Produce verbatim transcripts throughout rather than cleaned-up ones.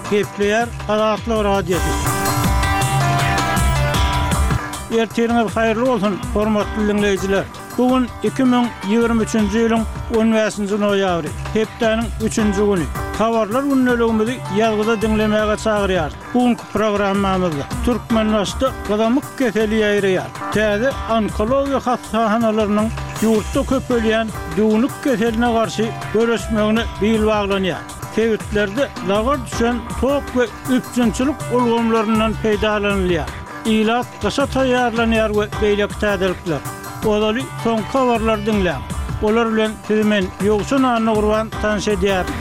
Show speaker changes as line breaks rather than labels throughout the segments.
Gepleýär Azatlyk Radiosy. Ertiriňiz haýyrly bolsun, hormatly diňleýjiler. Bu gün iki müň ýigrimi üçünji ýylyň on bäşinji noýabry, hepdäniň üçünji güni. Habarlar gündeligimizi ýazgyda diňlemäge çagyrýarys. Bu günki programmamyzda Türkmenbaşyda gyzamyk keseli ýaýraýar. Täze onkologiýa hassahanalarynyň ýurtda köpelýän düwnük keseline garşy göreşmegine bil baglanýar. Sebitlerde lagar düşen tok we üpjünçilik ulgamlaryndan peýdalanylýar. Ilat gyşa taýýarlanýar we beýleki täzelikler. Ozaly soňky habarlary diňläň. Olar bilen sizi men Ýowşan Annagurban tanyş edýärin.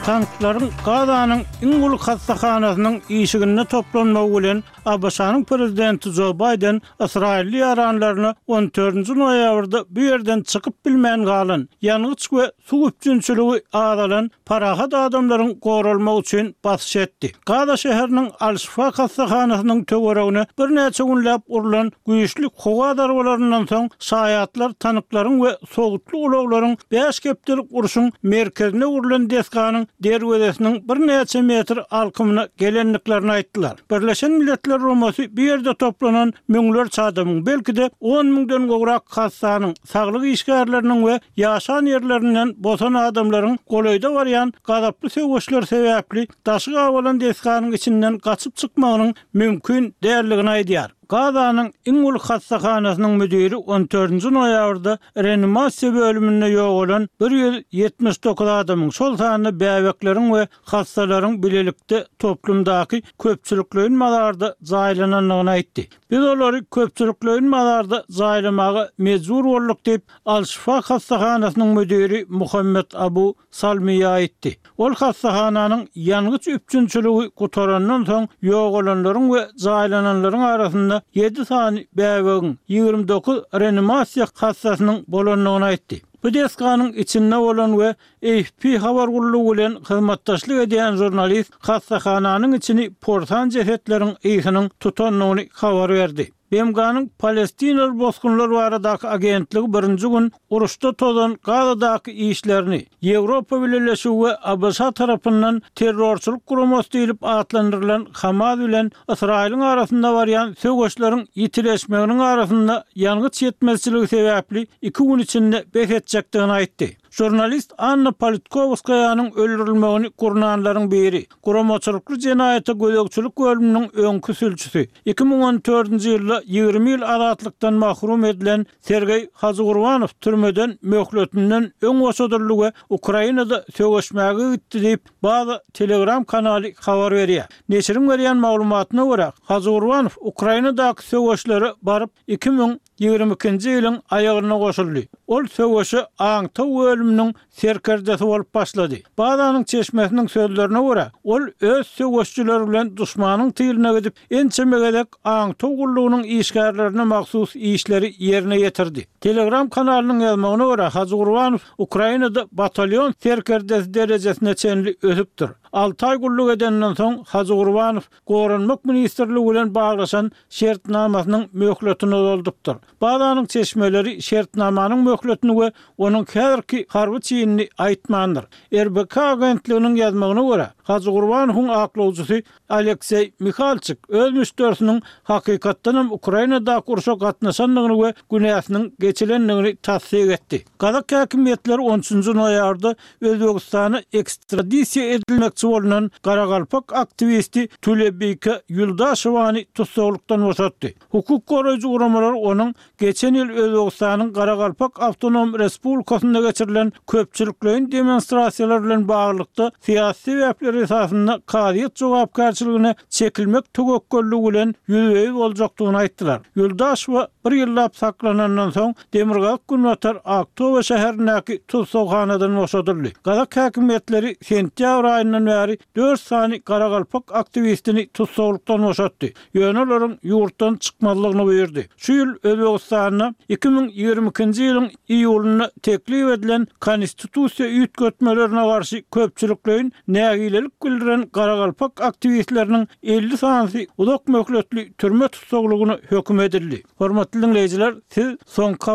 Tanklaryň Gazanyň iň uly hassahanasynyň işiginde toplanmagy bilen A B Ş-nyň prezidenti Jo Baýden ysraýylly ýaranlaryna on dördünji noýabrda bu ýerden çykyp bilmän galan, ýangyç we suw üpjünçiligi azalan parahat adamlaryň goralmagy üçin basyş etdi. Gaza şäheriniň Al-Şifa hassahanasynyň töweregine birnäçe günläp urlan güýçli howa zarbalaryndan soň şaýatlar tanklaryň we sowutly ulaglaryň bäş hepdelik urşuň merkezine urlan desganyň derwezesiniň birnäçe metr alkymyna gelendiklerini aýtdylar. Birleşen Milletler Guramasy bu ýerde toplanan müňlerçe adamyň, belki-de on müňden gowrak hassanyň, saglyk işgärleriniň we ýaşan ýerlerinden bosan adamlaryň golaýda barýan gazaply söweşler sebäpli daşy gabalan desganyň içinden gaçyp çykmagynyň mümkin däldigini aýdýar. Gazanyň iň uly hassahanasynyň müdiri on dördünji noýabrda reanimasiýa bölüminde ýogalan bir ýüz ýetmiş dokuz adamyň, şol sanda bäbekleriň we hassalaryň bilelikde toplumdaky köpçülikleýin mazarda jaýlanandygyny aýtdy. Biz olary köpçülikleýin mazarda jaýlamaga mejbur bolduk diýip, Al-Şifa hassahanasynyň müdiri Muhammed Abu Salmiýa aýtdy. Ol hassahananyň ýangyç üpjünçiligi gutarandan soň ýogalanlaryň we jaýlananlaryň arasynda ýedi sany bäbegiň, ýigrimi dokuz reanimasiýa hassasynyň bolandygyny aýtdy. Bu desganyň içinde bolan we A F P habar gullugy bilen hyzmatdaşlyk edýän žurnalist hassahananyň içini porsan jesetleriň ysynyň tutandygyny habar berdi. B M G-nyň Palestinaly bosgunlar baradaky agentligi birinji gün uruşda tozan Gazadaky işlerini Ýewropa Bileleşigi we A B Ş tarapyndan terrorçylyk guramasy diýlip atlandyrylan Hamas bilen Ysraýylyň arasynda barýan söweşleriň ýitileşmeginiň arasynda ýangyç ýetmezçiligi sebäpli iki gün içinde bes etjekdigini aýtdy. Žurnalist Anna Politkovskaýanyň öldürilmegini gurnanlaryň biri, guramaçylykly jenaýata gözegçilik bölüminiň öňki sülçüsi, iki müň on dördünji ýylda ýigrimi ýyl azatlykdan mahrum edilen Sergeý Hajygurbanow türmeden möhletinden öň boşadyldy we Ukrainada söweşmäge gitdi diýip, Baza Telegram kanaly habar berýär. Neşiriň berýän maglumatyna görä, Hajygurbanow Ukrainadaky söweşlere baryp iki müň ýigrimi ikinji ýylyň aýagyna goşuldy. Ol söweşe aňtaw bölüminiň serkerdesi bolup başlady. Bazanyň çeşmesiniň sözlerine görä, ol öz söweşçileri bilen duşmanyň tylyna gidip, ençeme gezek aňtaw gullugynyň işgärlerine mahsus işleri ýerine ýetirdi. Telegram kanalynyň ýazmagyna görä, Hajygurbanow Ukrainada batalyon serkerdesi derejesine çenli ösüpdir. Alty aý gulluk edenden soň Hajygurbanow Goranmak ministrligi bilen baglaşan şertnamasynyň möhletini uzadypdyr. Bazanyň çeşmeleri şertnamanyň möhletini we onuň häzirki harby çinini aýtmandyr. R B K agentliginiň ýazmagyna görä, Hajygurbanowyň aklawjysy Alekseý Mihalçik öz müşderisiniň hakykatdanam Ukrainadaky urşa gatnaşandygyny we günäsiniň geçilendigini tassyk etdi. Gazak häkimiýetleri on üçünji noýabrda Özbegistana ekstradisiýa edilmekçi bolunan Garagalpak aktiwisti Tülebike Ýuldaşewany tussaglykdan boşatdy. Hukuk goraýjy guramalar onuň geçen ýyl Özbegistanyň Garagalpak Awtonom Respublikasynda geçirilen köpçülikleýin demonstrasiýalar bilen baglylykda syýasy sebäpler esasynda kazyýet jogapkärçiligine çekilmek töwekgelligi bilen ýüzbe-ýüz boljakdygyny aýtdylar. Ýuldaşewa bir ýyllap saklanandan soň Demirgazyk Günbatar Aktobe şäherindäki tussaghanadan boşadyldy. Gazak häkimiýetleri sentýabr aýyndan bäri dört sany Garagalpak aktiwistini tussaglykdan boşatdy. Ýöne olaryň ýurtdan çykmazlygyny buýurdy. Şu ýyl Özbegistanda iki müň ýigrimi ikinji ýylyň iýulynda teklip edilen konstitusiýa üýtgetmelerine garşy köpçülikleýin nägilelik bildiren Garagalpak aktiwistleriniň elli sanysy uzak möhletli türme tussaglygyna höküm edildi. Hormatly dinleýjiler, siz soňky